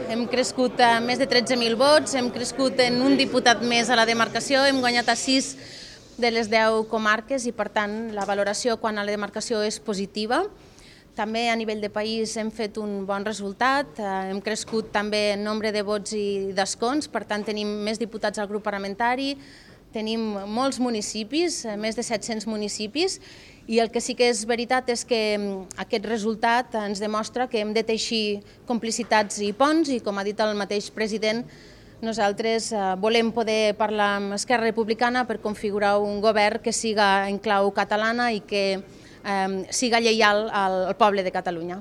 hem crescut a més de 13.000 vots, hem crescut en un diputat més a la demarcació, hem guanyat a 6 de les 10 comarques i, per tant, la valoració quan a la demarcació és positiva. També a nivell de país hem fet un bon resultat, hem crescut també en nombre de vots i d'escons, per tant tenim més diputats al grup parlamentari, tenim molts municipis, més de 700 municipis, i el que sí que és veritat és que aquest resultat ens demostra que hem de teixir complicitats i ponts i, com ha dit el mateix president, nosaltres volem poder parlar amb Esquerra Republicana per configurar un govern que siga en clau catalana i que siga lleial al poble de Catalunya.